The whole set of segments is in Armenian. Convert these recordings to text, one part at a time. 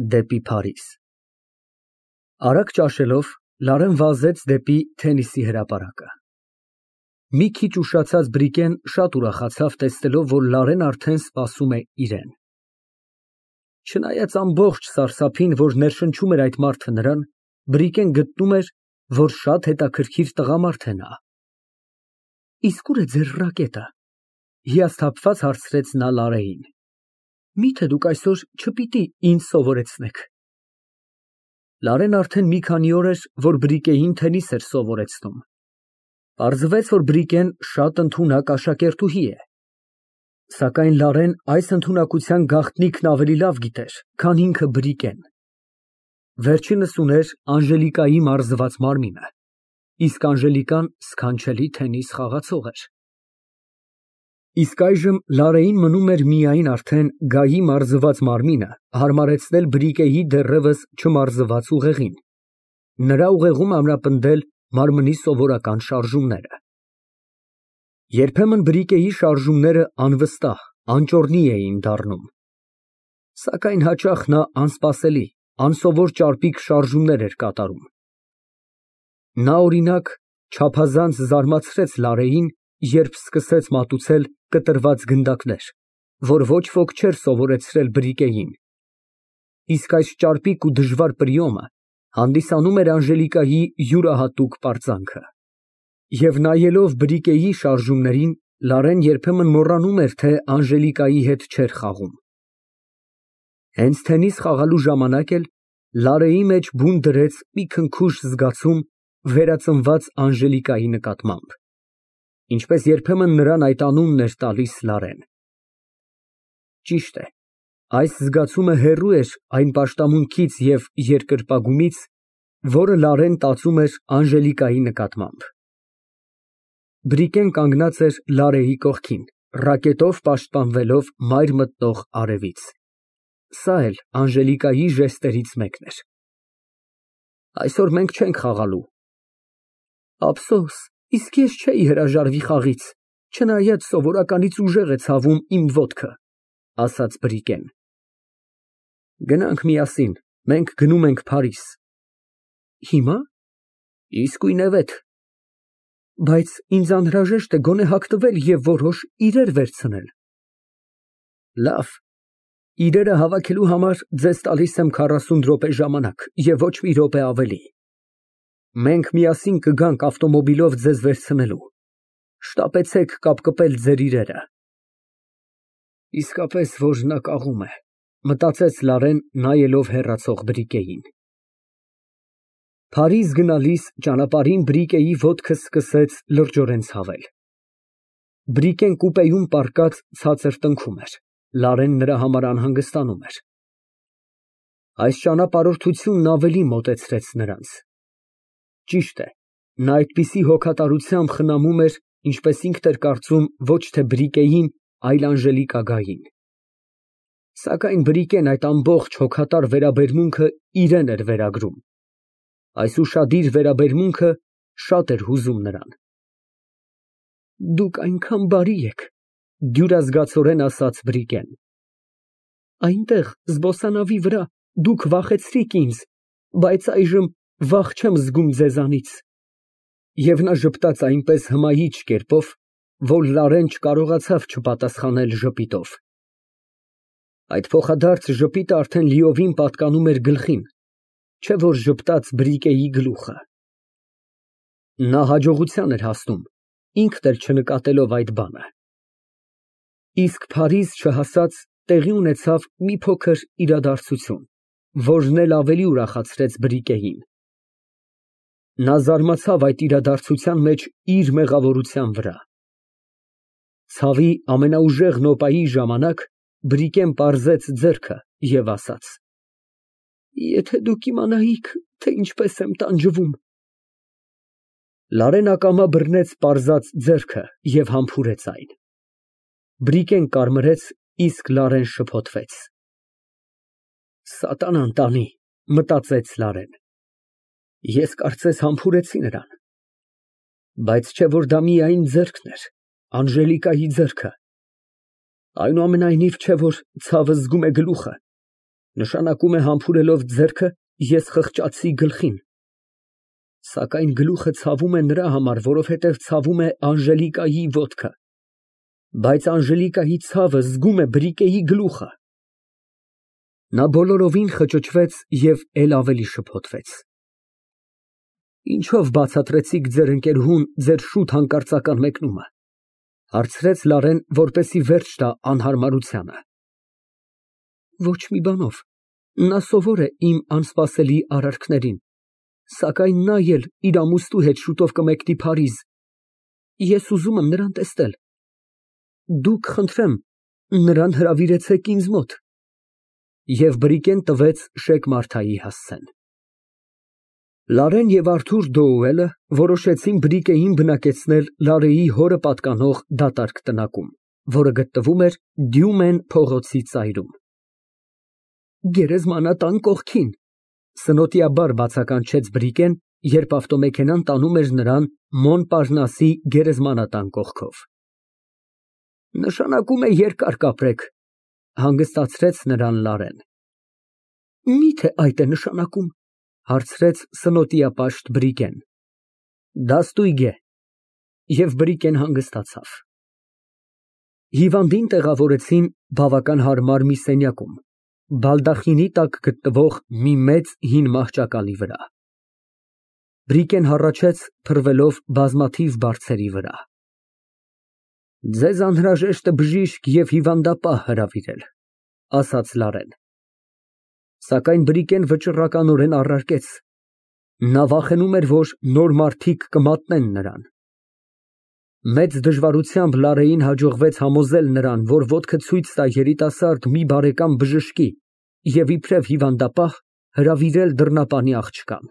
Դեպի Փարիզ։ Արագ ճաշելով Լարեն վազեց դեպի Թենիսի հրապարակը։ Մի քիչ ուշացած Բրիկեն շատ ուրախացավ, տեսնելով, որ Լարեն արդեն սպասում է իրան։ Չնայած ամբողջ սարսափին, որ ներշնչում էր այդ մարդը նրան, Բրիկեն գտնում էր, որ շատ հետաքրքիր տղամարդ է նա։ Իսկ ուր է ձեր ռակետը, հիասթափված հարցրեց նա Լարեին։ Միթե դուք այսօր չպիտի ինձ սովորեցնեք։ Լարեն արդեն մի քանի օր էր, որ Բրիկեին թենիս էր սովորեցնում։ Պարզվեց, որ Բրիկեն շատ ընդունակ աշակերտուհի է։ Սակայն Լարեն այս ընդունակության գաղտնիքն ավելի լավ գիտեր, քան ինքը Բրիկեն։ Վերջինս ուներ Անժելիկայի մարզված մարմինը, իսկ Անժելիկան սքանչելի թենիս խաղացող էր։ Իսկ այժմ Լարեին մնում էր միայն արդեն Գայի մարզված մարմինը հարմարեցնել Բրիկեի դեռևս չմարզված ուղեղին, նրա ուղեղում ամրապնդել մարմնի սովորական շարժումները։ Երբեմն Բրիկեի շարժումները անվստահ, անճոռնի էին դառնում, սակայն հաճախ նա անսպասելի, անսովոր ճարպիկ շարժումներ էր կատարում։ Նա, օրինակ, չափազանց զարմացրեց Լարեին, երբ սկսեց մատուցել կտրված գնդակներ, որ ոչ ոք չէր սովորեցրել Բրիկեին։ Իսկ այս ճարպիկ ու դժվար պրիոմը հանդիսանում էր Անժելիկայի յուրահատուկ պարծանքը։ Եվ նայելով Բրիկեի շարժումներին, Լարեն երբեմն մոռանում էր, թե Անժելիկայի հետ չէր խաղում։ Հենց թենիս խաղալու ժամանակ էլ Լարեի մեջ բուն դրեց մի քնքուշ զգացում վերածնված Անժելիկայի նկատմամբ, ինչպես երբեմն նրան այդ անունն էր տալիս Լարեն։ Ճիշտ է, այս զգացումը հեռու էր այն պաշտամունքից և երկրպագումից, որը Լարեն տածում էր Անժելիկայի նկատմամբ։ Բրիկեն կանգնած էր Լարեի կողքին, ռակետով պաշտպանվելով մայր մտնող արևից։ Սա էլ Անժելիկայի ժեստերից մեկն էր։ Այսօր մենք չենք խաղալու։ Ափսոս, իսկ ես չէի հրաժարվի խաղից, չնայած սովորականից ուժեղ է ցավում իմ ոտքը, ասաց Բրիկեն։ Գնանք միասին, մենք գնում ենք Փարիզ։ Հիմա։ Իսկույնևեթ։ Բայց ինձ անհրաժեշտ է գոնե հագնվել և որոշ իրեր վերցնել։ Լավ, իրերը հավաքելու համար ձեզ տալիս եմ 40 րոպե ժամանակ և ոչ մի րոպե ավելի։ Մենք միասին կգանք ավտոմոբիլով ձեզ վերցնելու։ Շտապեցեք կապկպել ձեր իրերը։ Իսկապես որ նա կաղում է, մտածեց Լարեն, նայելով հեռացող Բրիկեին։ Փարիզ գնալիս ճանապարհին Բրիկեի ոտքը սկսեց լրջորեն ցավել։ Բրիկեն կուպեում պառկած ցածր տնքում էր, Լարեն նրա համար անհանգստանում էր։ Այս ճանապարհորդությունն ավելի մոտեցրեց նրանց։ Ճիշտ է, նա այդպիսի հոգատարությամբ խնամում էր, ինչպես ինքն էր կարծում, ոչ թե Բրիկեին, այլ Անժելիկային։ Սակայն Բրիկեն այդ ամբողջ հոգատար վերաբերմունքը իրան էր վերագրում։ Այս ուշադիր վերաբերմունքը շատ էր հուզում նրան։ Դուք այնքան բարի եք, դյուրազգացորեն ասաց Բրիկեն։ Այնտեղ զբոսանավի վրա դուք վախեցրիք ինձ, բայց այժմ վախ չեմ զգում ձեզանից։ Եվ նա ժպտաց այնպես հմայիչ կերպով, որ Լարեն չկարողացավ չպատասխանել ժպիտով։ Այդ փոխադարձ ժպիտը արդեն լիովին պատկանում էր գլխին, չէ որ ժպտաց Բրիկեի գլուխը։ Նա հաջողության էր հասնում, ինքն էլ չնկատելով այդ բանը։ Իսկ Փարիզ չհասած տեղի ունեցավ մի փոքր իրադարձություն, որն էլ ավելի ուրախացրեց Բրիկեին։ Նա զարմացավ այդ իրադարձության մեջ իր մեղավորության վրա։ Ցավի ամենաուժեղ նոպայի ժամանակ Բրիկեն պարզեց ձեռքը և ասաց. Եթե դուք իմանայիք, թե ինչպես եմ տանջվում։ Լարեն ակամա բռնեց պարզած ձեռքը և համբուրեց այն։ Բրիկեն կարմրեց, իսկ Լարեն շփոթվեց։ Սատանան տանի, մտածեց Լարեն։ Ես կարծես համբուրեցի նրան։ Բայց չէ որ դա միայն ձեռքն էր, Անժելիկայի ձեռքը։ Այնուամենայնիվ չէ որ ցավը զգում է գլուխը։ Նշանակում է համբուրելով ձեռքը ես խղճացի գլխին։ Սակայն գլուխը ցավում է նրա համար, որովհետև ցավում է Անժելիկայի ոտքը, բայց Անժելիկայի ցավը զգում է Բրիկեի գլուխը։ Նա բոլորովին խճճվեց և էլ ավելի շփոթվեց։ Ինչո՞վ բացատրեցիք ձեր ընկերուհուն ձեր շուտ հանկարծական մեկնումը, հարցրեց Լարեն, որպեսզի վերջ տա անհարմարությանը։ Ոչ մի բանով, նա սովոր է իմ անսպասելի արարքներին, սակայն նա էլ իր ամուսնու հետ շուտով կմեկնի Փարիզ, ես ուզում եմ նրան տեսնել, դուք, խնդրեմ, նրան հրավիրեցեք ինձ մոտ։ Եվ Բրիկեն տվեց Շեկ Մարթայի հասցեն։ Լարեն և Արթուր Դոուելը որոշեցին Բրիկեին բնակեցնել Լարեի հորը պատկանող դատարկ տնակում, որը գտնվում էր Դյումեն փողոցի ծայրում։ Գերեզմանատան կողքին, սնոտիաբար բացականչեց Բրիկեն, երբ ավտոմեքենան տանում էր նրան Մոնպարնասի գերեզմանատան կողքով։ Նշանակում է երկար կապրեք, հանգստացրեց նրան Լարեն։ Մի՞թե այդ է նշանակում, հարցրեց սնոտիապաշտ Բրիկեն։ Դա ստույգ է։ Եվ Բրիկեն հանգստացավ։ Հիվանդին տեղավորեցին բավական հարմար մի սենյակում, բալդախինի տակ գտնվող մի մեծ հին մահճակալի վրա։ Բրիկեն հառաչեց, փռվելով բազմաթիվ բարձերի վրա։ Ձեզ անհրաժեշտ է բժիշկ և հիվանդապահ հրավիրել, ասաց Լարեն։ Սակայն Բրիկեն վճռականորեն առարկեց. նա վախենում էր, որ նոր մարդիկ կմատնեն նրան։ Մեծ դժվարությամբ Լարեին հաջողվեց համոզել նրան, որ ոտքը ցույց տա երիտասարդ մի բարեկամ բժշկի և իբրև հիվանդապահ հրավիրել դռնապանի աղջկան։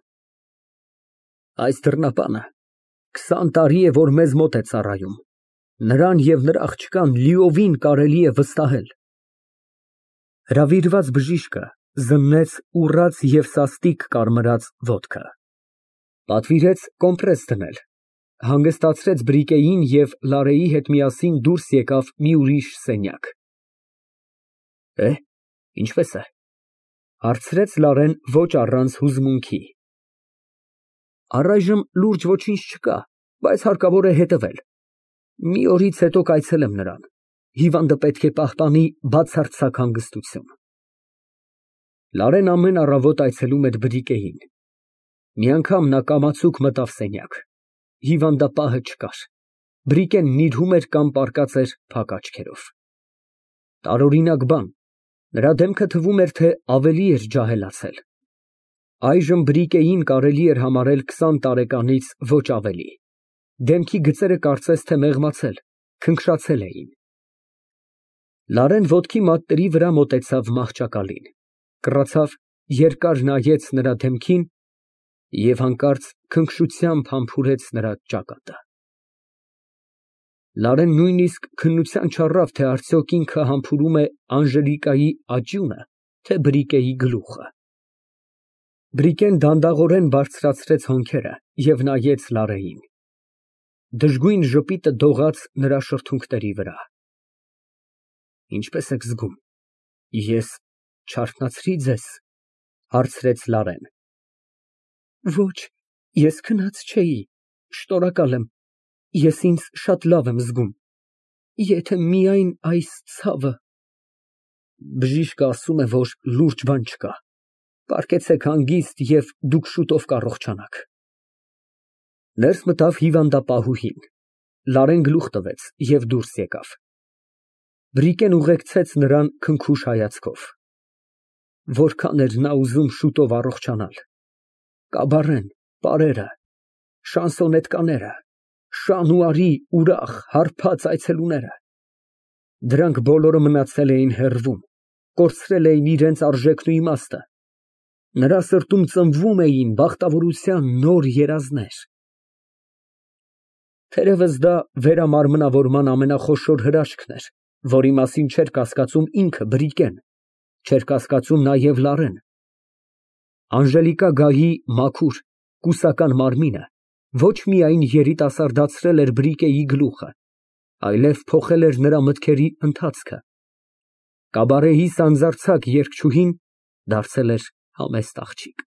Այս դռնապանը 20 տարի է, որ մեզ մոտ է ծառայում, նրան և նրա աղջկան լիովին կարելի է վստահել։ Հրավիրված բժիշկը զննեց ուռած և սաստիկ կարմրած ոտքը, պատվիրեց կոմպրես դնել, հանգստացրեց Բրիկեին և Լարեի հետ միասին դուրս եկավ մի ուրիշ սենյակ։ Ինչպե՞ս է, հարցրեց Լարեն ոչ առանց հուզմունքի։ Առայժմ լուրջ ոչինչ չկա, բայց հարկավոր է հետևել։ Մի օրից հետո կայցելեմ նրան, հիվանդը պետք է պահպանի բացարձակ հանգստություն։ Լարեն ամեն առավոտ այցելում էր Բրիկեին։ Մի անգամ նա կամացուկ մտավ սենյակ, հիվանդապահը չկար, Բրիկեն նիրհում էր կամ պառկած էր փակ աչքերով։ Տարօրինակ բան, նրա դեմքը թվում էր, թե ավելի էր ջահելացել։ Այժմ Բրիկեին կարելի էր համարել 20 տարեկանից ոչ ավելի։ Դեմքի գծերը կարծես թե մեղմացել, քնքշացել էին։ Լարեն ոտքի մատների վրա մոտեցավ մահճակալին, կռացավ, երկար նայեց նրա դեմքին և հանկարծ քնքշությամբ համբուրեց նրա ճակատը։ Լարեն նույնիսկ քննության չառավ, թե արդյոք ինքը համբուրում է Անժելիկայի աճյունը, թե Բրիկեի գլուխը։ Բրիկեն դանդաղորեն բարձրացրեց հոնքերը և նայեց Լարեին։ Դժգույն ժպիտը դողաց նրա շրթունքների վրա։ Ինչպե՞ս եք զգում, ես չարթնացրի՞ ձեզ, հարցրեց Լարեն։ Ոչ, ես քնած չէի, շնորհակալ եմ, ես ինձ շատ լավ եմ զգում, եթե միայն այս ցավը… Բժիշկը ասում է, որ լուրջ բան չկա, պառկեցեք հանգիստ և դուք շուտով կառողջանաք։ Ներս մտավ հիվանդապահուհին, Լարեն գլուխ տվեց և դուրս եկավ։ Բրիկեն ուղեկցեց նրան քնքուշ հայացքով։ Որքան էր նա ուզում շուտով առողջանալ։ Կաբարեն, պարերը, շանսոնետկաները, շան ու արի ուրախ, հարբած այցելուները… Դրանք բոլորը մնացել էին հեռվում, կորցրել էին իրենց արժեքն ու իմաստը։ Նրա սրտում ծնվում էին բախտավորության նոր երազներ։ Թերևս դա վերամարմնավորման ամենախոշոր հրաշքն էր, որի մասին չէր կասկածում ինքը Բրիկեն, չէր կասկածում նաև Լարեն։ Անժելիկա Գայի մաքուր, կուսական մարմինը ոչ միայն երիտասարդացրել էր Բրիկեի գլուխը, այլև փոխել էր նրա մտքերի ընթացքը։ Կաբարեի սանձարձակ երգչուհին Դարձել էր համեստ աղջիկ։